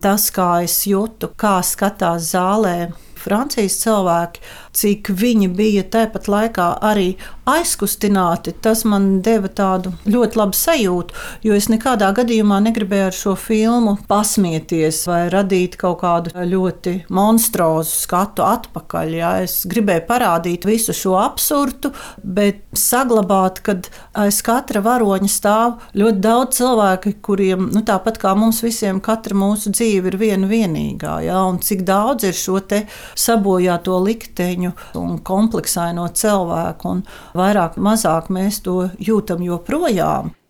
tas, kā es jūtu, kā skatās zālē Francijas cilvēki, cik viņi bija tāpat laikā arī aizkustināti, tas man deva tādu ļoti labu sajūtu, jo es nekādā gadījumā negribēju ar šo filmu pasmieties vai radīt kaut kādu ļoti monstrozu skatu atpakaļ. Ja? Es gribēju parādīt visu šo absurdu, bet saglabāt, kad aiz katra varoņa stāv ļoti daudz cilvēku, kuriem, tāpat kā mums visiem, katra mūsu dzīve ir viena vienīgā. Ja? Un cik daudz ir šo te sabojāto likteņu un kompleksaino cilvēku, un vairāk, mazāk mēs to jūtam joprojām.